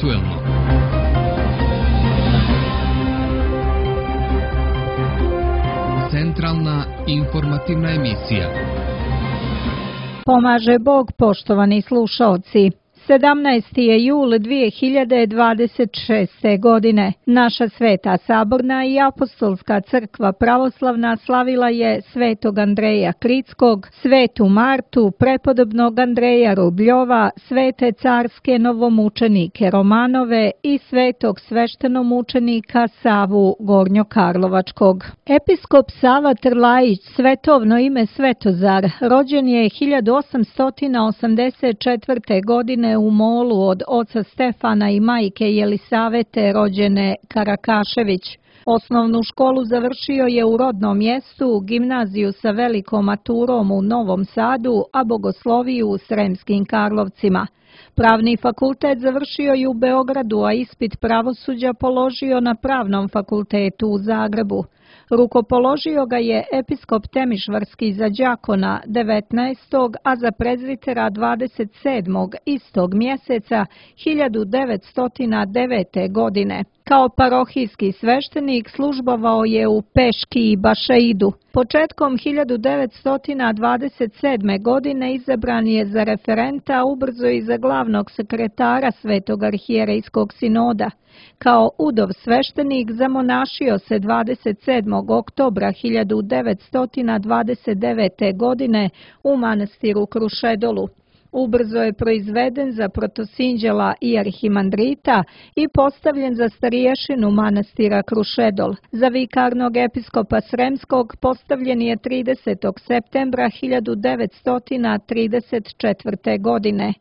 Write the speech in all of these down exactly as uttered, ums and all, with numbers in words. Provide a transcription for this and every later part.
aktuelno. Centralna informativna emisija. Pomaže Bog, poštovani slušaoci. sedamnaesti je jul dvije hiljade dvadeset šeste. godine. Naša Sveta Saborna i Apostolska crkva pravoslavna slavila je Svetog Andreja Kritskog, Svetu Martu, prepodobnog Andreja Rubljova, svete carske novomučenike Romanove i svetog sveštenomučenika Savu Gornjokarlovačkog. Episkop Sava Trlajić, svetovno ime Svetozar, rođen je hiljadu osamsto osamdeset četvrte. godine u Molu od oca Stefana i majke Jelisavete rođene Karakašević. Osnovnu školu završio je u rodnom mjestu, gimnaziju sa velikom maturom u Novom Sadu, a bogosloviju u Sremskim Karlovcima. Pravni fakultet završio je u Beogradu, a ispit pravosuđa položio na Pravnom fakultetu u Zagrebu. Rukopoložio ga je episkop Temišvarski za đakona devetnaestog. a za prezvitera dvadeset sedmog istog mjeseca hiljadu devetsto devete. godine. Kao parohijski sveštenik službovao je u Peški i Bašeidu. Početkom hiljadu devetsto dvadeset sedme. godine izabran je za referenta, ubrzo i za glavnog sekretara Svetog arhijerejskog sinoda. Kao udov sveštenik zamonašio se dvadeset sedmog. oktobra hiljadu devetsto dvadeset devete. godine u manastiru Krušedolu. Ubrzo je proizveden za protosinđela i arhimandrita i postavljen za stariješinu manastira Krušedol. Za vikarnog episkopa Sremskog postavljen je tridesetog septembra hiljadu devetsto trideset četvrte. godine.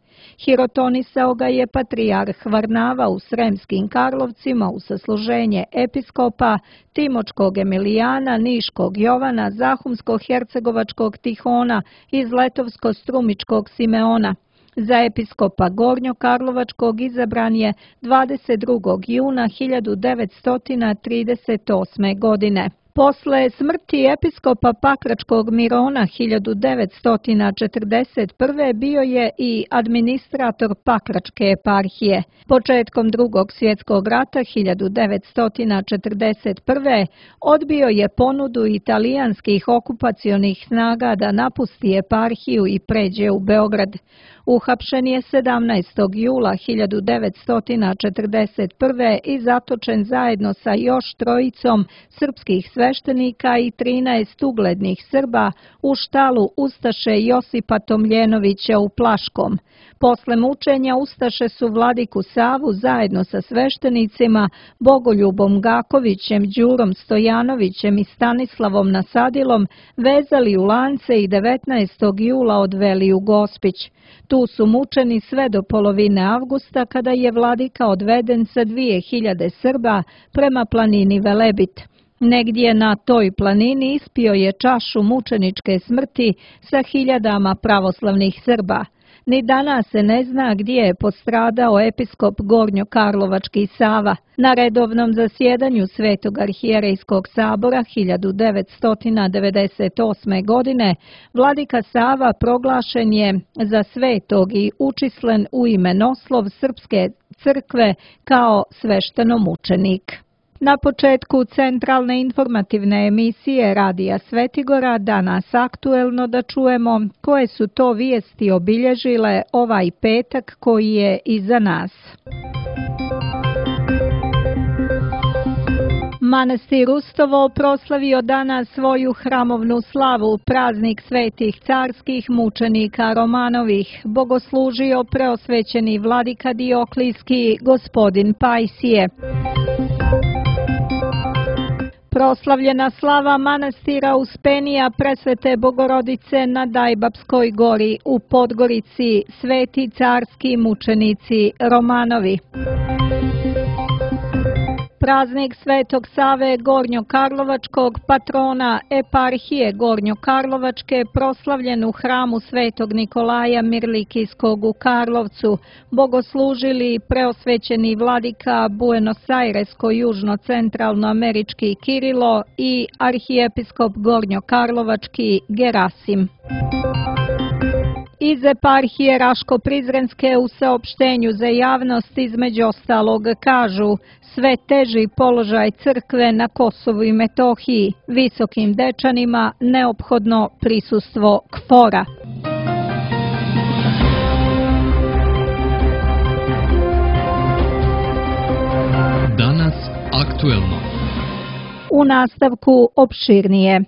Hirotonisao ga je patrijarh Varnava u Sremskim Karlovcima u sasluženje episkopa Timočkog Emilijana, Niškog Jovana, Zahumsko-hercegovačkog Tihona i Zletovsko-strumičkog Simeona. Za episkopa Gornjokarlovačkog izabran je dvadeset drugog juna hiljadu devetsto trideset osme. godine. Posle smrti episkopa Pakračkog Mirona hiljadu devetsto četrdeset prve. bio je i administrator Pakračke eparhije. Početkom Drugog svjetskog rata hiljadu devetsto četrdeset prve. odbio je ponudu italijanskih okupacionih snaga da napusti eparhiju i pređe u Beograd. Uhapšen je sedamnaestog jula hiljadu devetsto četrdeset prve. i zatočen zajedno sa još trojicom srpskih sveštenika i trinaest uglednih Srba u štalu ustaše Josipa Tomljenovića u Plaškom. Posle mučenja ustaše su vladiku Savu zajedno sa sveštenicima Bogoljubom Gakovićem, Đurom Stojanovićem i Stanislavom Nasadilom vezali u lance i devetnaestog jula odveli u Gospić. Tu su mučeni sve do polovine avgusta, kada je vladika odveden sa dvije hiljade Srba prema planini Velebit. Negdje na toj planini ispio je čašu mučeničke smrti sa hiljadama pravoslavnih Srba. Ni danas se ne zna gdje je postradao episkop Gornjokarlovački Sava. Na redovnom zasjedanju Svetog arhijerejskog sabora hiljadu devetsto devedeset osme. godine vladika Sava proglašen je za svetog i učišćen u imenoslov Srpske crkve kao sveštenomučenik. Na početku centralne informativne emisije Radija Svetigora danas aktuelno da čujemo koje su to vijesti obilježile ovaj petak koji je iza nas. Manastir Ustovo proslavio danas svoju hramovnu slavu, praznik svetih carskih mučenika Romanovih. Bogoslužio preosvećeni vladika Dioklijski gospodin Pajsije. Proslavljena slava manastira Uspenija Presvete Bogorodice na Dajbapskoj gori u Podgorici, sveti carski mučenici Romanovi. Praznik Svetog Save Gornjokarlovačkog, patrona eparhije Gornjokarlovačke, proslavljen u hramu Svetog Nikolaja Mirlikijskog u Karlovcu, bogoslužili preosvećeni vladika Buenos Airesko-južno-centralnoamerički Kirilo i arhijepiskop Gornjokarlovački Gerasim. Iz eparhije Raško-Prizrenske u saopštenju za javnost između ostalog kažu sve teži položaj crkve na Kosovu i Metohiji, visokim dečanima neophodno prisustvo kfora. Danas aktuelno. U nastavku opširnije.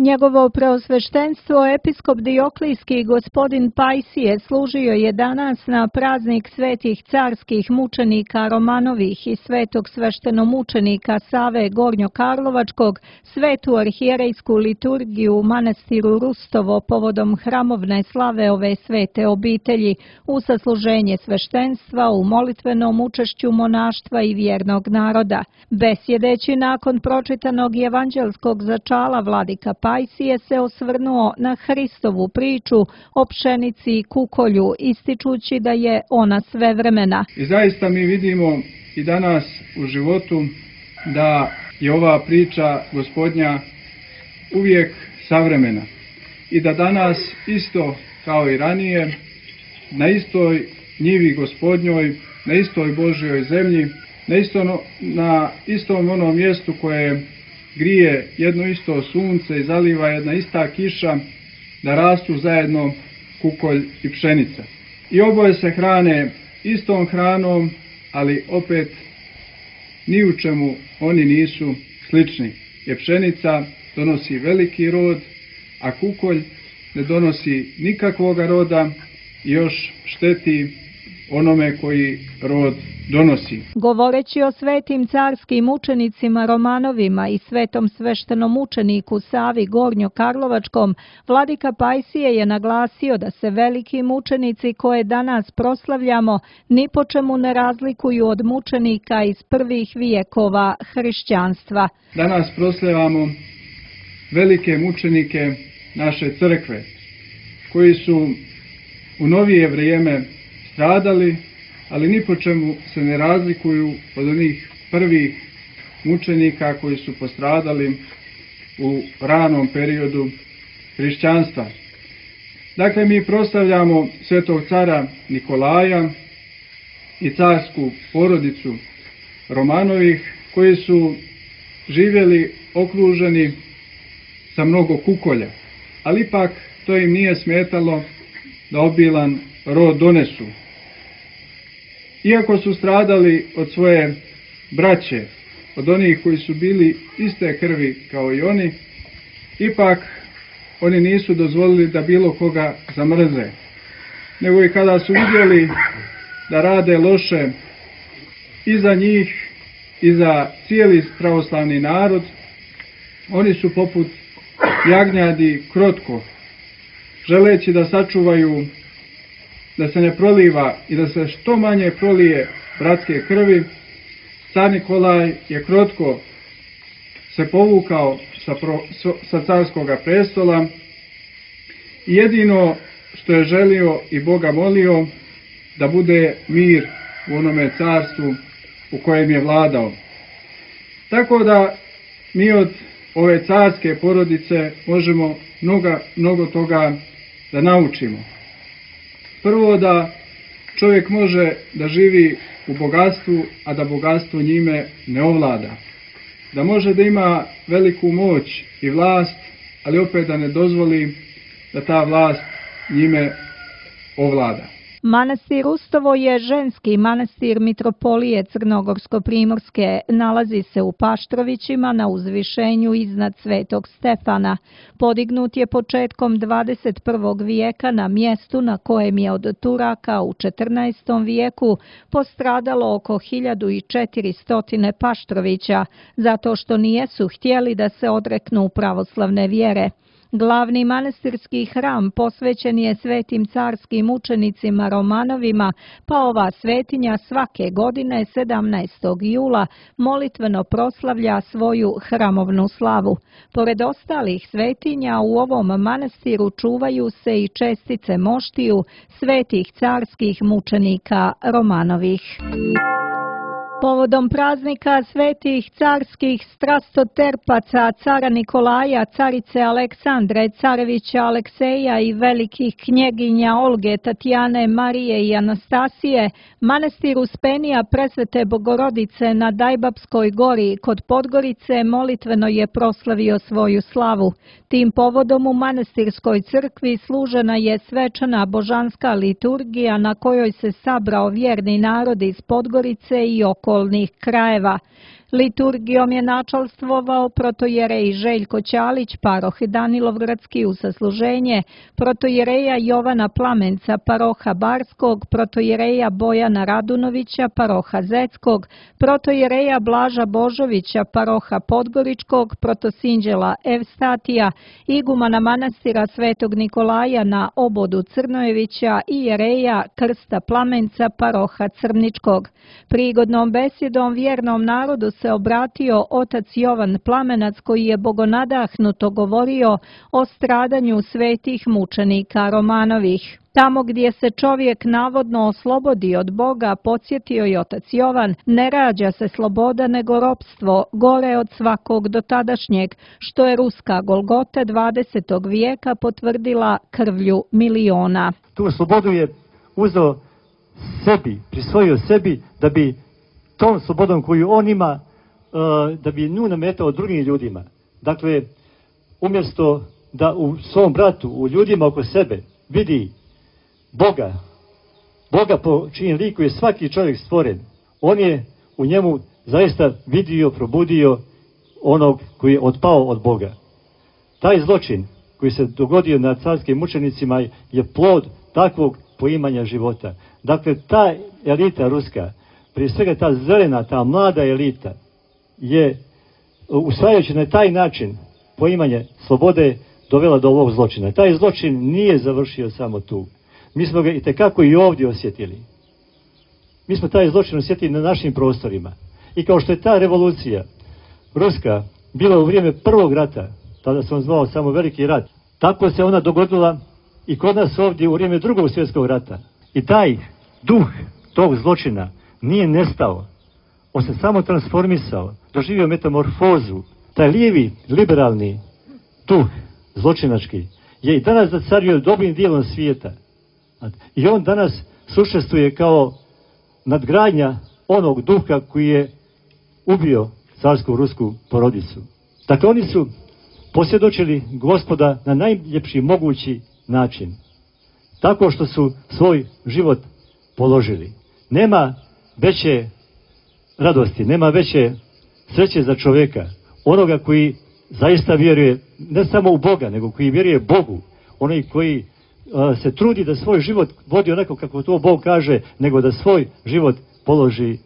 Njegovo preosveštenstvo episkop Dioklijski gospodin Pajsije služio je danas na praznik svetih carskih mučenika Romanovih i svetog sveštenomučenika Save Gornjokarlovačkog, svetu arhijerejsku liturgiju u manastiru Rustovo povodom hramovne slave ove svete obitelji u sasluženje sveštenstva u molitvenom učešću monaštva i vjernog naroda. Besjedeći nakon pročitanog evanđelskog začala vladika Pajsije se osvrnuo na Hristovu priču o pšenici i kukolju, ističući da je ona svevremena. I zaista mi vidimo i danas u životu da je ova priča Gospodnja uvijek savremena i da danas isto kao i ranije na istoj njivi Gospodnjoj, na istoj Božjoj zemlji, na, isto, na istom onom mjestu koje grije jedno isto sunce i zaliva jedna ista kiša, da rastu zajedno kukolj i pšenica. I oboje se hrane istom hranom, ali opet ni u čemu oni nisu slični. Jer pšenica donosi veliki rod, a kukolj ne donosi nikakvoga roda i još šteti onome koji rod donosi. Govoreći o svetim carskim učenicima Romanovima i svetom sveštenom učeniku Savi Gornjokarlovačkom, vladika Pajsije je naglasio da se veliki mučenici koje danas proslavljamo ni po čemu ne razlikuju od mučenika iz prvih vijekova hrišćanstva. Danas proslavljamo velike mučenike naše crkve, koji su u novije vrijeme stradali, ali ni po čemu se ne razlikuju od onih prvih mučenika koji su postradali u ranom periodu hrišćanstva. Dakle, mi proslavljamo svetog cara Nikolaja i carsku porodicu Romanovih, koji su živjeli okruženi sa mnogo kukolja, ali ipak to im nije smetalo da obilan rod donesu. Iako su stradali od svoje braće, od onih koji su bili iste krvi kao i oni, ipak oni nisu dozvolili da bilo koga zamrze. Nego i kada su vidjeli da rade loše i za njih i za cijeli pravoslavni narod, oni su poput jagnjadi krotko, želeći da sačuvaju da se ne proliva i da se što manje prolije bratske krvi, car Nikolaj je krotko se povukao sa, pro, sa carskoga prestola i jedino što je želio i Boga molio da bude mir u onome carstvu u kojem je vladao. Tako da mi od ove carske porodice možemo mnogo, mnogo toga da naučimo. Prvo, da čovjek može da živi u bogatstvu, a da bogatstvo njime ne ovlada. Da može da ima veliku moć i vlast, ali opet da ne dozvoli da ta vlast njime ovlada. Manastir Rustovo je ženski manastir mitropolije Crnogorsko-primorske. Nalazi se u Paštrovićima na uzvišenju iznad Svetog Stefana. Podignut je početkom dvadeset prvog vijeka na mjestu na kojem je od Turaka u četrnaestom vijeku postradalo oko hiljadu četiristo Paštrovića, zato što nijesu htjeli da se odreknu pravoslavne vjere. Glavni manastirski hram posvećen je svetim carskim učenicima Romanovima, pa ova svetinja svake godine sedamnaestog jula molitveno proslavlja svoju hramovnu slavu. Pored ostalih svetinja u ovom manastiru čuvaju se i čestice moštiju svetih carskih mučenika Romanovih. Povodom praznika svetih carskih strastoterpaca, cara Nikolaja, carice Aleksandre, carevića Alekseja i velikih knjeginja Olge, Tatjane, Marije i Anastasije, manastir Uspenija Presvete Bogorodice na Dajbabskoj gori kod Podgorice molitveno je proslavio svoju slavu. Tim povodom u manastirskoj crkvi služena je svečana božanska liturgija na kojoj se sabrao vjerni narod iz Podgorice i okolnih krajeva. Liturgijom je načalstvovao protojerej Željko Ćalić, paroh Danilovgradski u sasluženje, protojereja Jovana Plamenca, paroha Barskog, protojereja Bojana Radunovića, paroha Zeckog, protojereja Blaža Božovića, paroha Podgoričkog, protosinđela Evstatija, igumana manastira Svetog Nikolaja na Obodu Crnojevića i jereja Krsta Plamenca, paroha Crničkog. Prigodnom besjedom vjernom narodu se obratio otac Jovan Plamenac koji je bogonadahnuto govorio o stradanju svetih mučenika Romanovih. Tamo gdje se čovjek navodno oslobodi od Boga, podsjetio je otac Jovan, ne rađa se sloboda nego ropstvo, gore od svakog dotadašnjeg, što je ruska Golgota dvadesetog vijeka potvrdila krvlju miliona. Tu slobodu je uzeo sebi, prisvojio sebi da bi tom slobodom koju on ima, da bi nju nametao drugim ljudima. Dakle, umjesto da u svom bratu, u ljudima oko sebe vidi Boga, Boga po čijem liku je svaki čovjek stvoren, on je u njemu zaista vidio, probudio onog koji je otpao od Boga. Taj zločin koji se dogodio nad carskim mučenicima je plod takvog poimanja života. Dakle, ta elita ruska, prije svega ta zelena, ta mlada elita, je usvajajući na taj način poimanje slobode dovela do ovog zločina. Taj zločin nije završio samo tu. Mi smo ga itekako i ovdje osjetili. Mi smo taj zločin osjetili na našim prostorima. I kao što je ta revolucija ruska bila u vrijeme prvog rata, tada se on zvao samo Veliki rat, tako se ona dogodila i kod nas ovdje u vrijeme drugog svjetskog rata. I taj duh tog zločina nije nestao. On se samo transformisao, doživio metamorfozu. Taj lijevi, liberalni duh zločinački je i danas zacario dobrim dijelom svijeta. I on danas sušestvuje kao nadgradnja onog duha koji je ubio carsku rusku porodicu. Dakle, oni su posvjedočili Gospoda na najljepši mogući način. Tako što su svoj život položili. Nema veće radosti, nema veće sreće za čovjeka, onoga koji zaista vjeruje ne samo u Boga, nego koji vjeruje Bogu, onaj koji uh, se trudi da svoj život vodi onako kako to Bog kaže, nego da svoj život položi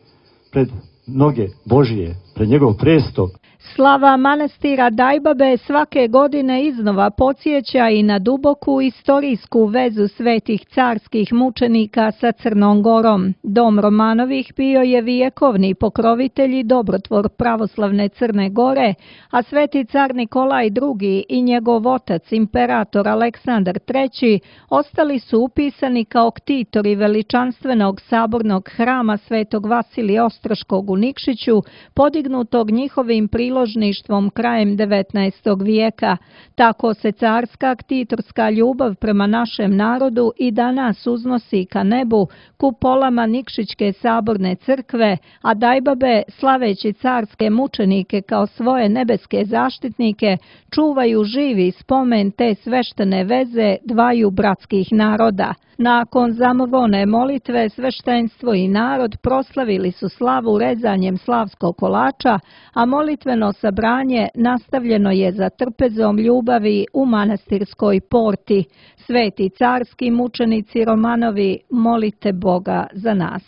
pred noge Božije, pred njegov presto. Slava manastira Dajbabe svake godine iznova podsjeća i na duboku istorijsku vezu svetih carskih mučenika sa Crnom Gorom. Dom Romanovih bio je vijekovni pokrovitelj i dobrotvor pravoslavne Crne Gore, a sveti car Nikolaj drugi i njegov otac, imperator Aleksandar treći, ostali su upisani kao ktitori veličanstvenog sabornog hrama svetog Vasilija Ostroškog u Nikšiću, podignutog njihovim priložništvom krajem devetnaestog vijeka. Tako se carska ktitorska ljubav prema našem narodu i danas uznosi ka nebu kupolama Nikšićke saborne crkve, a Dajbabe, slaveći carske mučenike kao svoje nebeske zaštitnike, čuvaju živi spomen te sveštene veze dvaju bratskih naroda. Nakon zamovone molitve, sveštenstvo i narod proslavili su slavu rezanjem slavskog kolača, a molitveno sabranje nastavljeno je za trpezom ljubavi u manastirskoj porti. Sveti carski mučenici Romanovi, molite Boga za nas.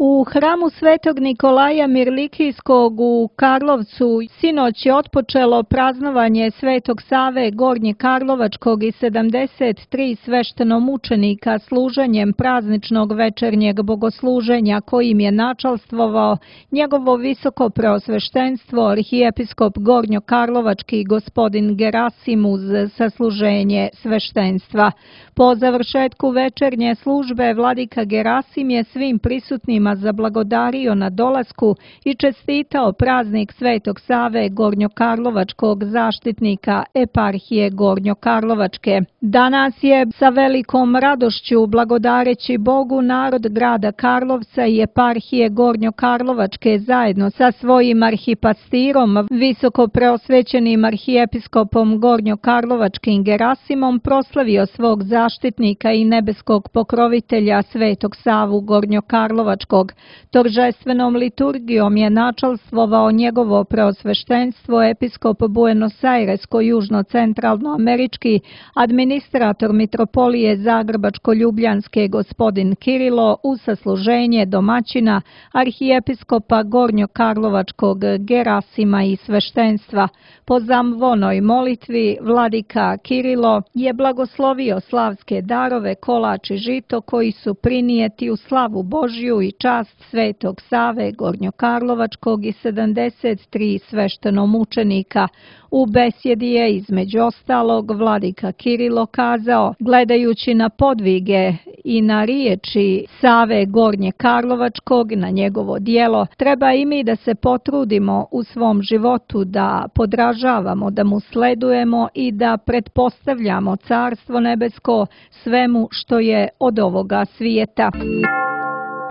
U hramu Svetog Nikolaja Mirlikijskog u Karlovcu sinoć je otpočelo praznovanje Svetog Save Gornjekarlovačkog i sedamdeset tri sveštenomučenika služenjem prazničnog večernjeg bogosluženja kojim je načalstvovao njegovo visoko preosveštenstvo arhijepiskop Gornjokarlovački gospodin Gerasim uz sasluženje sveštenstva. Po završetku večernje službe vladika Gerasim je svim prisutnima građanima zablagodario na dolasku i čestitao praznik Svetog Save Gornjokarlovačkog zaštitnika eparhije Gornjokarlovačke. Danas je sa velikom radošću blagodareći Bogu narod grada Karlovca i eparhije Gornjokarlovačke zajedno sa svojim arhipastirom, visoko preosvećenim arhijepiskopom Gornjokarlovačkim Gerasimom, proslavio svog zaštitnika i nebeskog pokrovitelja Svetog Savu Gornjokarlovačkog. Торжественom liturgijom je načalstvovao njegovo preosveštenstvo episkop Buenos-Airesko-južno-centralnoamerički administrator mitropolije Zagrebačko-ljubljanske gospodin Kirilo u sasluženje domaćina arhijepiskopa Gornjokarlovačkog Gerasima i sveštenstva. Po zamvonoj molitvi vladika Kirilo je blagoslovio slavske darove, kolač i žito koji su prinijeti u slavu Božju i čast Svetog Save Gornjokarlovačkog i sedamdeset tri sveštenomučenika. U besjedi je između ostalog vladika Kirilo kazao: gledajući na podvige i na riječi Save Gornjekarlovačkog, na njegovo djelo, treba i mi da se potrudimo u svom životu da podražavamo, da mu sledujemo i da pretpostavljamo Carstvo nebesko svemu što je od ovoga svijeta.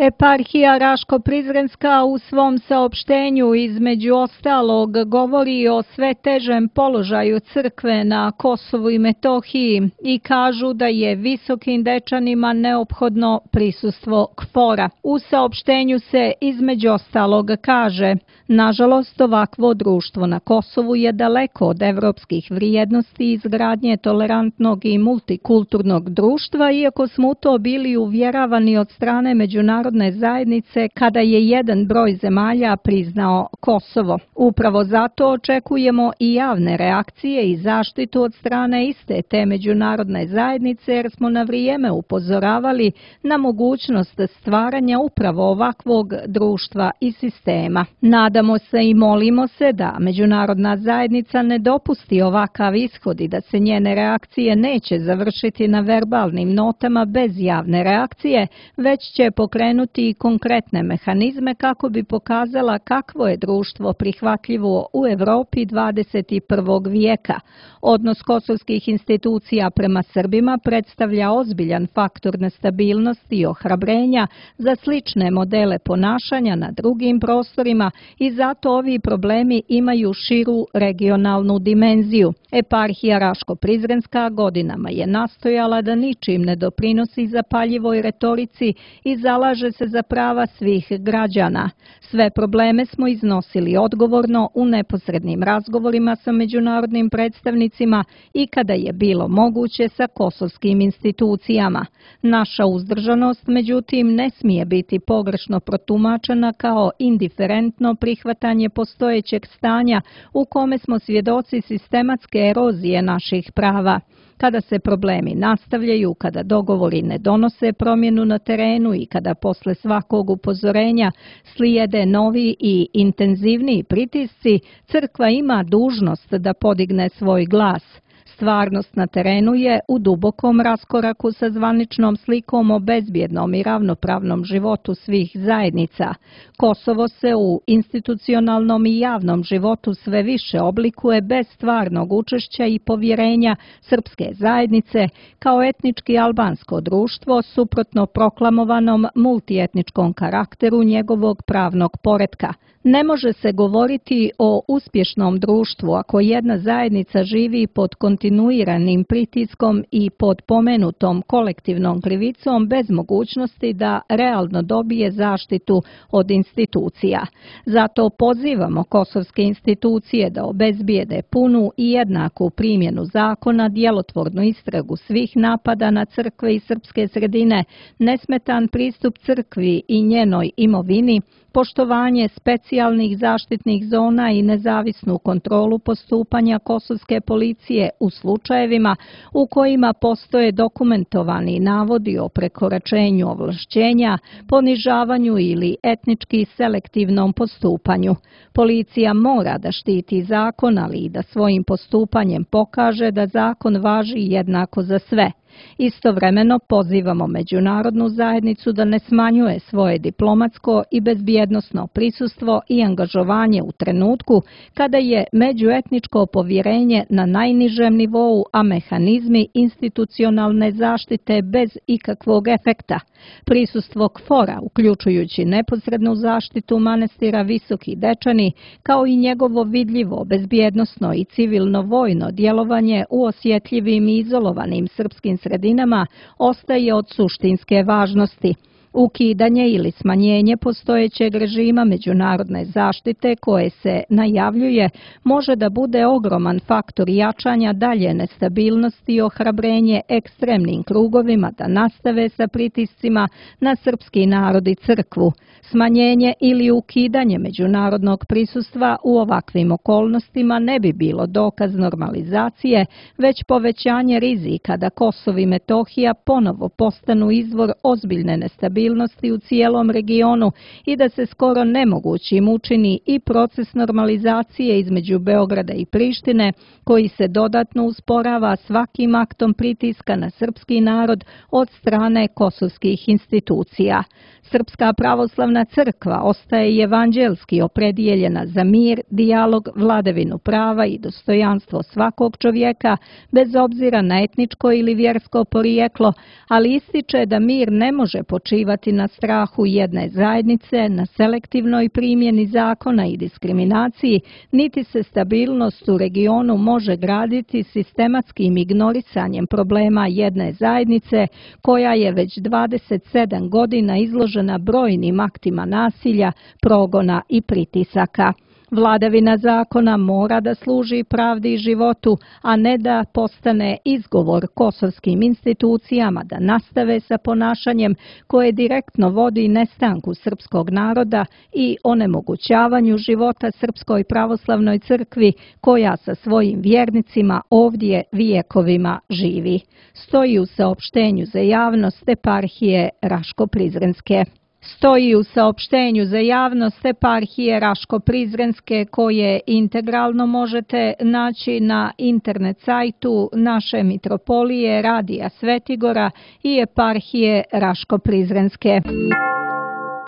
Eparhija Raško-Prizrenska u svom saopštenju između ostalog govori o sve težem položaju crkve na Kosovu i Metohiji i kažu da je visokim dečanima neophodno prisustvo KFOR-a. U saopštenju se između ostalog kaže: nažalost, ovakvo društvo na Kosovu je daleko od evropskih vrijednosti i izgradnje tolerantnog i multikulturnog društva, iako smo u to bili uvjeravani od strane međunarodne zajednice kada je jedan broj zemalja priznao Kosovo. Upravo zato očekujemo i javne reakcije i zaštitu od strane iste te međunarodne zajednice, jer smo na vrijeme upozoravali na mogućnost stvaranja upravo ovakvog društva i sistema. Nadamo se i molimo se da međunarodna zajednica ne dopusti ovakav ishod i da se njene reakcije neće završiti na verbalnim notama bez javne reakcije, već će pokrenuti i konkretne mehanizme kako bi pokazala kakvo je društvo prihvatljivo u Evropi dvadeset prvog vijeka. Odnos kosovskih institucija prema Srbima predstavlja ozbiljan faktor nestabilnosti i ohrabrenja za slične modele ponašanja na drugim prostorima i zato ovi problemi imaju širu regionalnu dimenziju. Eparhija Raško-Prizrenska godinama je nastojala da ničim ne doprinosi zapaljivoj retorici i zalaže se za prava svih građana. Sve probleme smo iznosili odgovorno u neposrednim razgovorima sa međunarodnim predstavnicima i kada je bilo moguće sa kosovskim institucijama. Naša uzdržanost, međutim, ne smije biti pogrešno protumačena kao indiferentno prihvatanje postojećeg stanja u kome smo svjedoci sistematske erozije naših prava. Kada se problemi nastavljaju, kada dogovori ne donose promjenu na terenu i kada posle svakog upozorenja slijede novi i intenzivniji pritisci, crkva ima dužnost da podigne svoj glas. Stvarnost na terenu je u dubokom raskoraku sa zvaničnom slikom o bezbjednom i ravnopravnom životu svih zajednica. Kosovo se u institucionalnom i javnom životu sve više oblikuje bez stvarnog učešća i povjerenja srpske zajednice kao etnički albansko društvo suprotno proklamovanom multietničkom karakteru njegovog pravnog poretka. Ne može se govoriti o uspješnom društvu ako jedna zajednica živi pod kontinuiranim pritiskom i pod pomenutom kolektivnom krivicom bez mogućnosti da realno dobije zaštitu od institucija. Zato pozivamo kosovske institucije da obezbijede punu i jednaku primjenu zakona, djelotvornu istragu svih napada na crkve i srpske sredine, nesmetan pristup crkvi i njenoj imovini, poštovanje specijalnih zaštitnih zona i nezavisnu kontrolu postupanja kosovske policije u slučajevima u kojima postoje dokumentovani navodi o prekoračenju ovlašćenja, ponižavanju ili etnički selektivnom postupanju. Policija mora da štiti zakon, ali i da svojim postupanjem pokaže da zakon važi jednako za sve. Istovremeno pozivamo međunarodnu zajednicu da ne smanjuje svoje diplomatsko i bezbjednosno prisustvo i angažovanje u trenutku kada je međuetničko povjerenje na najnižem nivou, a mehanizmi institucionalne zaštite bez ikakvog efekta. Prisustvo KFOR-a, uključujući neposrednu zaštitu manastira Visoki Dečani, kao i njegovo vidljivo, bezbjednosno i civilno-vojno djelovanje u osjetljivim i izolovanim srpskim sredinama, ostaje od suštinske važnosti. Ukidanje ili smanjenje postojećeg režima međunarodne zaštite koje se najavljuje može da bude ogroman faktor jačanja dalje nestabilnosti i ohrabrenje ekstremnim krugovima da nastave sa pritiscima na srpski narod i crkvu. Smanjenje ili ukidanje međunarodnog prisustva u ovakvim okolnostima ne bi bilo dokaz normalizacije, već povećanje rizika da Kosovo i Metohija ponovo postanu izvor ozbiljne nestabilnosti u cijelom regionu i da se skoro nemogućim učini i proces normalizacije između Beograda i Prištine, koji se dodatno usporava svakim aktom pritiska na srpski narod od strane kosovskih institucija. Srpska pravoslavna crkva ostaje evanđelski opredijeljena za mir, dijalog, vladavinu prava i dostojanstvo svakog čovjeka, bez obzira na etničko ili vjersko porijeklo, ali ističe da mir ne može počivati na strahu jedne zajednice, na selektivnoj primjeni zakona i diskriminaciji, niti se stabilnost u regionu može graditi sistematskim ignorisanjem problema jedne zajednice koja je već dvadeset sedam godina izložena brojnim aktima nasilja, progona i pritisaka. Vladavina zakona mora da služi pravdi i životu, a ne da postane izgovor kosovskim institucijama da nastave sa ponašanjem koje direktno vodi nestanku srpskog naroda i onemogućavanju života Srpskoj pravoslavnoj crkvi koja sa svojim vjernicima ovdje vijekovima živi. Stoji u saopštenju za javnost eparhije Raško-Prizrenske. Stoji u saopštenju za javnost eparhije Raško-Prizrenske koje integralno možete naći na internet sajtu naše mitropolije Radija Svetigora i eparhije Raško-Prizrenske.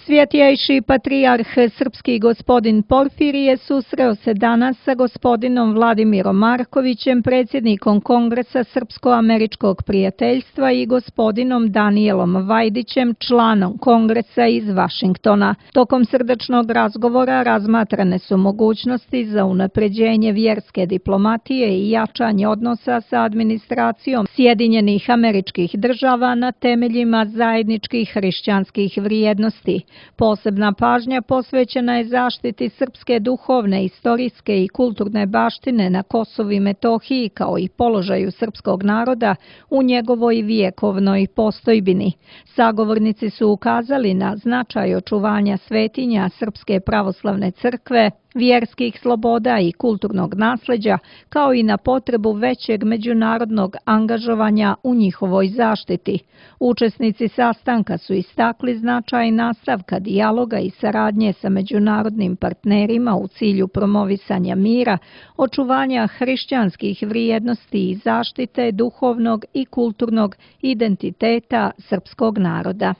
Svjetjejši patrijarh srpski gospodin Porfirije susreo se danas sa gospodinom Vladimirom Markovićem, predsjednikom Kongresa Srpsko-američkog prijateljstva i gospodinom Danijelom Vajdićem, članom Kongresa iz Vašingtona. Tokom srdačnog razgovora razmatrane su mogućnosti za unapređenje vjerske diplomatije i jačanje odnosa sa administracijom Sjedinjenih Američkih Država na temeljima zajedničkih hrišćanskih vrijednosti. Posebna pažnja posvećena je zaštiti srpske duhovne, istorijske i kulturne baštine na Kosovu i Metohiji kao i položaju srpskog naroda u njegovoj vijekovnoj postojbini. Sagovornici su ukazali na značaj očuvanja svetinja Srpske pravoslavne crkve, vjerskih sloboda i kulturnog nasljeđa, kao i na potrebu većeg međunarodnog angažovanja u njihovoj zaštiti. Učesnici sastanka su istakli značaj nastavka dijaloga i saradnje sa međunarodnim partnerima u cilju promovisanja mira, očuvanja hrišćanskih vrijednosti i zaštite duhovnog i kulturnog identiteta srpskog naroda.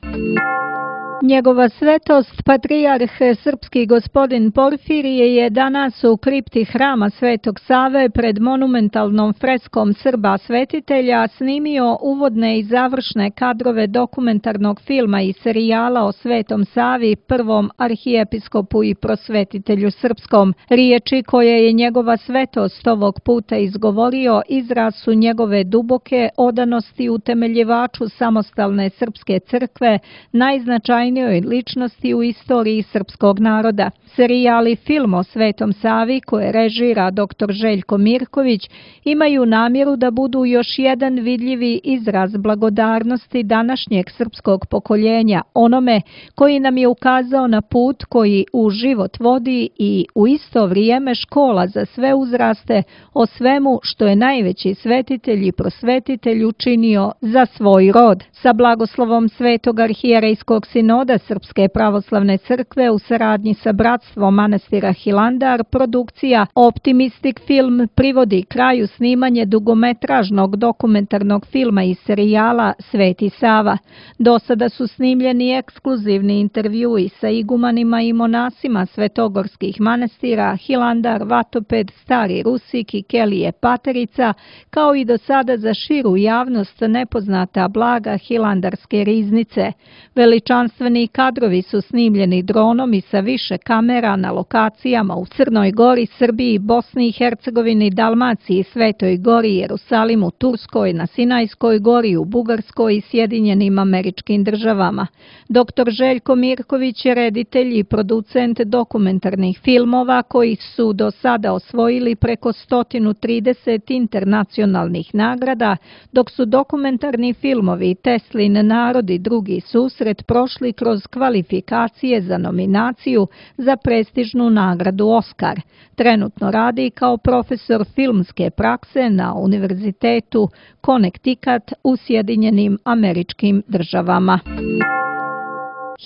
Njegova svetost, patrijarh srpski gospodin Porfirije, je danas u kripti hrama Svetog Save pred monumentalnom freskom Srba svetitelja snimio uvodne i završne kadrove dokumentarnog filma i serijala o Svetom Savi, prvom arhijepiskopu i prosvetitelju srpskom. Riječi koje je njegova svetost ovog puta izgovorio izraz su njegove duboke odanosti utemeljivaču samostalne srpske crkve, najznačajnijoj ličnosti u istoriji srpskog naroda. Serijal i film o Svetom Savi, koje režira doktor Željko Mirković, imaju namjeru da budu još jedan vidljivi izraz blagodarnosti današnjeg srpskog pokoljenja onome koji nam je ukazao na put koji u život vodi i u isto vrijeme škola za sve uzraste o svemu što je najveći svetitelj i prosvetitelj učinio za svoj rod. Sa blagoslovom Svetog arhijerejskog sinoda sinoda Srpske pravoslavne crkve u saradnji sa Bratstvom manastira Hilandar, produkcija Optimistic Film privodi kraju snimanje dugometražnog dokumentarnog filma i serijala Sveti Sava. Do sada su snimljeni ekskluzivni intervjui sa igumanima i monasima svetogorskih manastira Hilandar, Vatoped, Stari Rusik i Kelije Paterica, kao i do sada za širu javnost nepoznata blaga Hilandarske riznice. Veličanstveni kadrovi su snimljeni dronom i sa više kamera na lokacijama u Crnoj Gori, Srbiji, Bosni i Hercegovini, Dalmaciji, Svetoj Gori, Jerusalimu, Turskoj, na Sinajskoj gori, u Bugarskoj i Sjedinjenim Američkim Državama. Doktor Željko Mirković je reditelj i producent dokumentarnih filmova koji su do sada osvojili preko sto trideset internacionalnih nagrada, dok su dokumentarni filmovi Teslin narod i drugi susret prošli kroz kvalifikacije za nominaciju za prestižnu nagradu Oskar. Trenutno radi kao profesor filmske prakse na Univerzitetu Connecticut u Sjedinjenim Američkim Državama.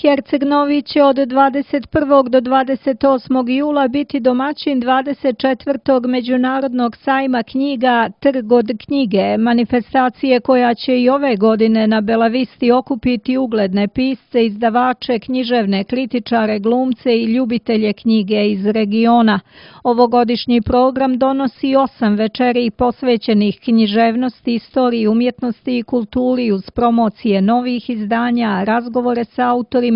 Herceg Novi će od dvadeset prvog do dvadeset osmog jula biti domaćin dvadeset četvrtog Međunarodnog sajma knjiga Trg od knjige, manifestacije koja će i ove godine na Belavisti okupiti ugledne pisce, izdavače, književne kritičare, glumce i ljubitelje knjige iz regiona. Ovogodišnji program donosi osam večeri posvećenih književnosti, istoriji, umjetnosti i kulturi uz promocije novih izdanja, razgovore sa autorima,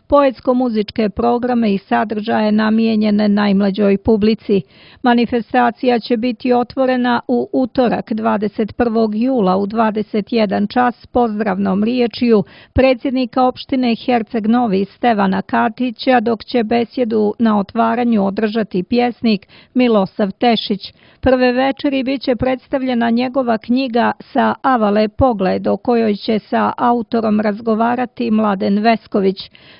poetsko-muzičke programe i sadržaje namijenjene najmlađoj publici. Manifestacija će biti otvorena u utorak dvadeset prvog jula u dvadeset jedan čas pozdravnom riječju predsjednika opštine Herceg Novi Stevana Katića, dok će besjedu na otvaranju održati pjesnik Milosav Tešić. Prve večeri bit će predstavljena njegova knjiga Sa avale pogled, o kojoj će sa autorom razgovarati Mladen Vesković.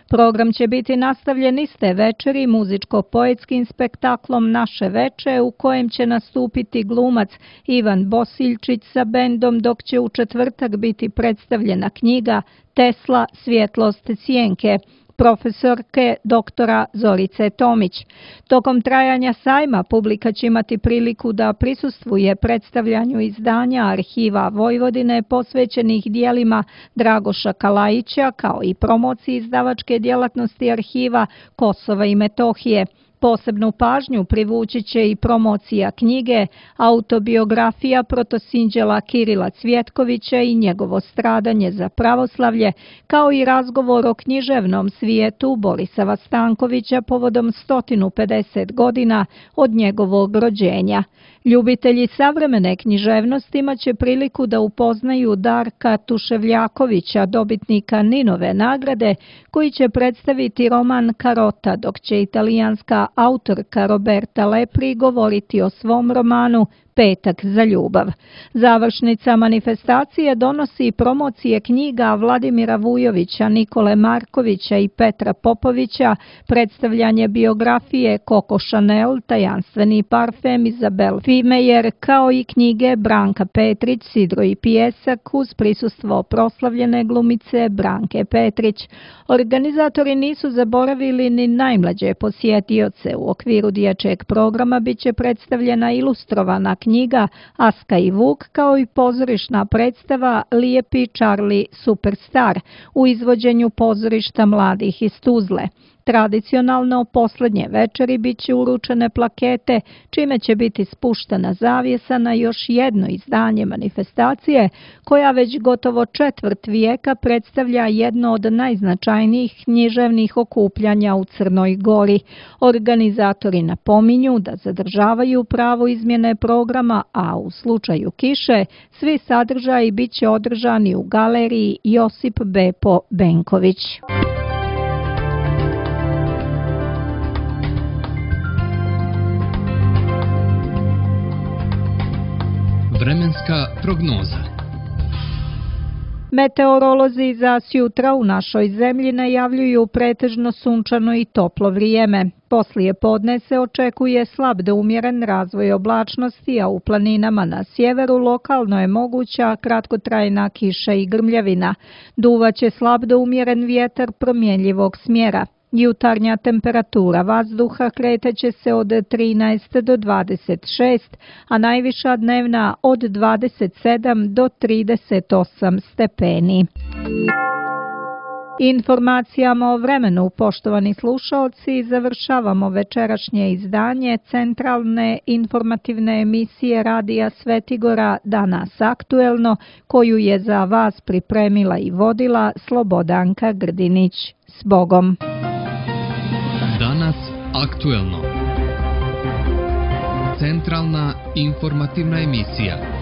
Program će biti nastavljen iste večeri muzičko-poetskim spektaklom Naše veče, u kojem će nastupiti glumac Ivan Bosiljčić sa bendom, dok će u četvrtak biti predstavljena knjiga Tesla, svjetlost sjenke, profesorke doktora Zorice Tomić. Tokom trajanja sajma publika će imati priliku da prisustvuje predstavljanju izdanja Arhiva Vojvodine posvećenih dijelima Dragoša Kalajića, kao i promociji izdavačke djelatnosti Arhiva Kosova i Metohije. Posebnu pažnju privući će i promocija knjige Autobiografija protosinđela Kirila Cvjetkovića i njegovo stradanje za pravoslavlje, kao i razgovor o književnom svijetu Borisava Stankovića povodom sto pedeset godina od njegovog rođenja. Ljubitelji savremene književnosti imat će priliku da upoznaju Darka Tuševljakovića, dobitnika Ninove nagrade, koji će predstaviti roman Karota, dok će italijanska autorka Roberta Lepri govoriti o svom romanu Petak za ljubav. Završnica manifestacije donosi promocije knjiga Vladimira Vujovića, Nikole Markovića i Petra Popovića, predstavljanje biografije Coco Chanel, tajanstveni parfem Izabel Fimejer, kao i knjige Branka Petrić, Sidro i pijesak, uz prisustvo proslavljene glumice Branke Petrić. Organizatori nisu zaboravili ni najmlađe posjetioce. U okviru dječjeg programa biće predstavljena ilustrovana knjiga Aska i Vuk, kao i pozorišna predstava Lijepi Charlie Superstar u izvođenju pozorišta mladih iz Tuzle. Tradicionalno posljednje večeri bit će uručene plakete, čime će biti spuštena zavjesa na još jedno izdanje manifestacije, koja već gotovo četvrt vijeka predstavlja jedno od najznačajnijih književnih okupljanja u Crnoj Gori. Organizatori napominju da zadržavaju pravo izmjene programa, a u slučaju kiše svi sadržaji bit će održani u galeriji Josip Bepo Benković. Vremenska prognoza. Meteorolozi za sjutra u našoj zemlji najavljuju pretežno sunčano i toplo vrijeme. Poslije podne se očekuje slab do umjeren razvoj oblačnosti, a u planinama na sjeveru lokalno je moguća kratkotrajna kiša i grmljavina. Duvaće slab do umjeren vjetar promjenjivog smjera. Jutarnja temperatura vazduha kreteće se od trinaest do dvadeset šest, a najviša dnevna od dvadeset sedam do trideset osam stepeni. Informacijama o vremenu, poštovani slušaoci, završavamo večerašnje izdanje centralne informativne emisije Radija Svetigora Danas aktuelno, koju je za vas pripremila i vodila Slobodanka Grdinić. S Bogom! Danas aktuelno. Centralna informativna emisija.